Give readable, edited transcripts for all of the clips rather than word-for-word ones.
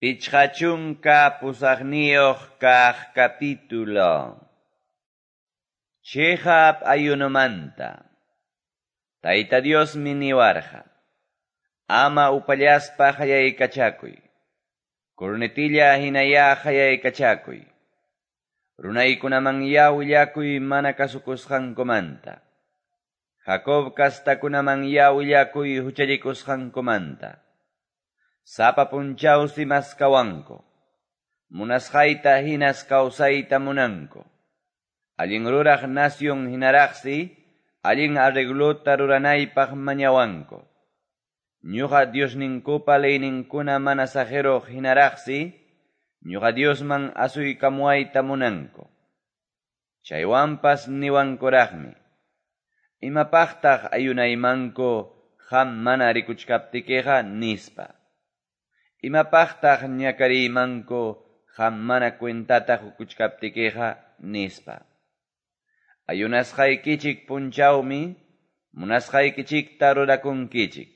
58 kaq capítulo. Chiqap ayunomanta. Tayta Diosmi niwarqa: Ama upallaspa qayaykachakuy. Cornetilla hinayá qayaykachakuy. Runaykunamanyá willakuy mana kasukusqankumanta. Jacob castakunamanyá willakuy huchallikusqankumanta. Sapa punchawsi maskawanku. Munasqayta hinas kawsayta munanku. Allin ruraq nación hinaraqsi, allin arreglota ruranaypaq mañawanku. Ñuqa Diosninkupa leyninkuna mana saqeruq hinaraqsi, ñuqa Diosman asuykamuwayta munanku. Chaywanpas niwankuraqmi: Imapaqtaq ayunaymanku qam mana rikuchkaptikiqa, nispa. Imapaqtaq ñakariymanku qam mana cuentata qukuchkaptikiqa, nispa. Ayunasqaykichik punchawmi munasqaykichikta rurakunkichik.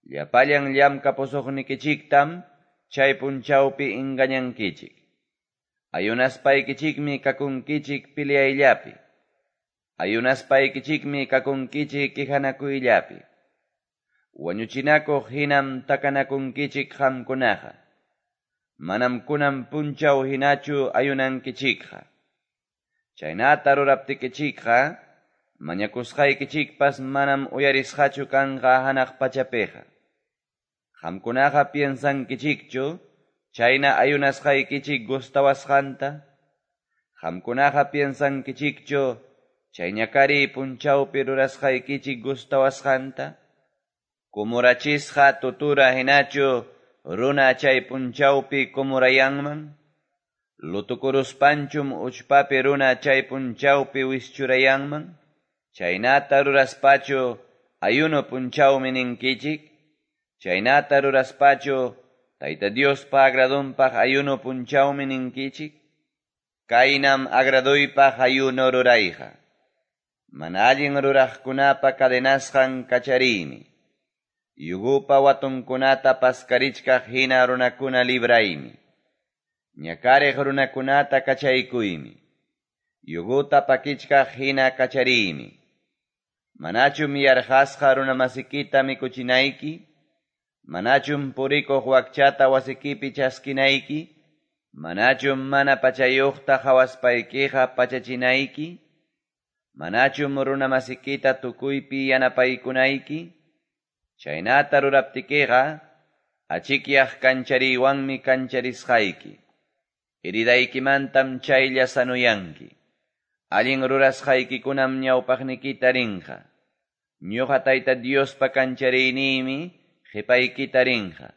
Llapallan llamkapusuqnikichiktam chay punchawpi engañankichik. Ayunaspaykichikmi kakunkichik peleayllapi. Ayunaspaykichikmi kakunkichik quejanakuyllapi. Wañuchinakuq hinam takanakunkichik qamkunaqa. Manam kunan punchaw hinachu ayunankichikqa. Chaynata ruraptikichikqa, mañakusqaykichikpas manam uyarisqachu kanqa hanaq pachapiqa. Qamkunaqa piensankichikchu chayna ayunasqaykichik gustawasqanta? Qamkunaqa piensankichikchu chay ñakariy punchawpi rurasqaykichik gustawasqanta? Kumurachisqa tutura hinachu runa chay punchawpi kumurayanman? Lutukuruspanchum uchpapi runa chay punchawpi wischurayanman? Chaynata ruraspachu ayuno punchawmi ninkichik? Chaynata ruraspachu Tayta Diospa agradonpaq ayuno punchawmi ninkichik? Kaynam agradoypaq ayuno rurayqa. Mana allin ruraqkunapa cadenasqan kachariymi. Yugupa watunkunata paskarichkaq hina runakuna libraymi. Ñakariq runakunata kachaykuymi. Yuguta pakichkaq hina kachariymi. Manachum yarqasqa runamasikita mikuchinayki? Manachum purikuq wakchata wasikipi chaskinayki? Manachum mana pachayuqta qawaspaykiqa pachachinayki? Manachum runamasikita tukuypi yanapaykunayki? Chaynata ruraptikiqa, achikyaq kanchariywanmi kancharisqayki. Heridaykimantam chaylla sanuyanki. Allin rurasqaykikunam ñawpaqnikita rinqa. Ñuqa Tayta Diospa kanchariyniymi qipaykita rinqa.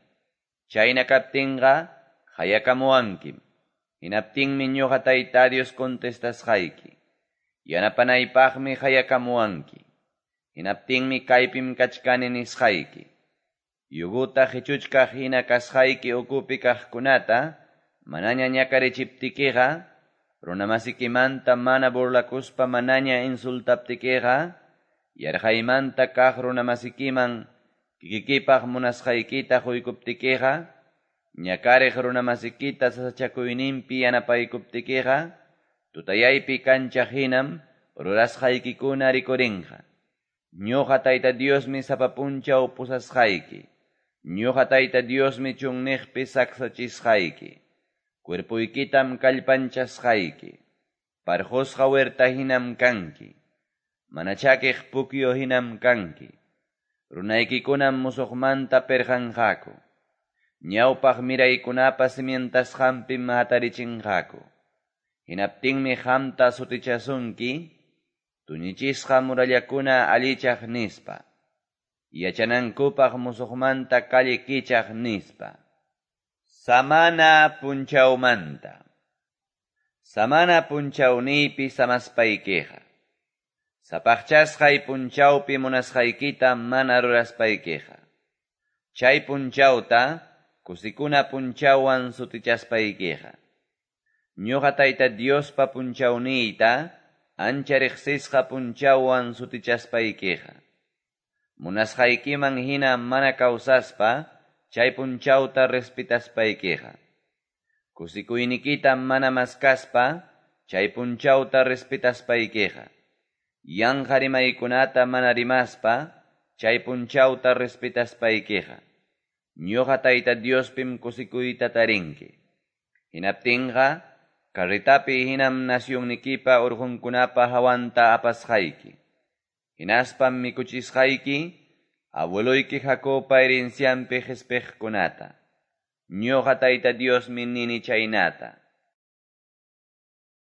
Chayna kaptinqa qayakamuwankim. Hinaptinmi ñuqa Tayta Dios contestasqayki. Yanapanaypaqmi qayakamuwanki. Hinaptinmi kaypim kachkani nisqayki. Yuguta qichuchkaq hina kasqayki ukupi kaqkunata manaña ñakarichiptikiqa, runamasikimanta mana burlakuspa manaña insultaptikiqa, yarqaymanta kaq runamasikiman kikikipaq munasqaykita quykuptikiqa, ñakariq runamasikita sasachakuyninpi yanapaykuptikiqa, tutayaypi kanchaq hinam rurasqaykikuna rikurinqa. Ñuqa Tayta Diosmi sapa punchaw pusasqayki. Ñuqa Tayta Diosmi chunniqpi saksachisqayki. Cuerpuykitam kallpanchasqayki. Parqusqa huerta hinam kanki. Mana chakiq pukyu hinam kanki. Runaykikunam musuqmanta pirqanqaku. Ñawpaq miraykunapa cimientasqanpim hatarichinqaku. Hinaptinmi qamta sutichasunki, tuñichisqa murallakuna allichaq nispa. Yachanankupaq musuqmanta calle kichaq nispa. Samana punchawmanta. Samana punchawniypi samaspaykiqa. Sapaqchasqay punchawpi munasqaykita mana ruraspaykiqa. Chay punchawta kusikuna punchawwan sutichaspaykiqa. Ñuqa Tayta Diospa punchawniyta ancha riqsisqa punchawwan sutichaspaykiqa. Munasqaykiman hina mana kawsaspa chay punchawta respetaspaykiqa. Kusikuynikita mana maskaspa chay punchawta respetaspaykiqa. Yanqa rimaykunata mana rimaspa chay punchawta respetaspaykiqa. Ñoqa Tayta Diospim kusikuyta tarinki. Hinaptinqa carretapi hinam nacionnikipa orqonkunapa hawanta apasqayki. Hinaspam mikuchisqayki abueloyki Jacobpa herencianpi qespiqkunata. Ñoqa Tayta Diosmi nini chaynata.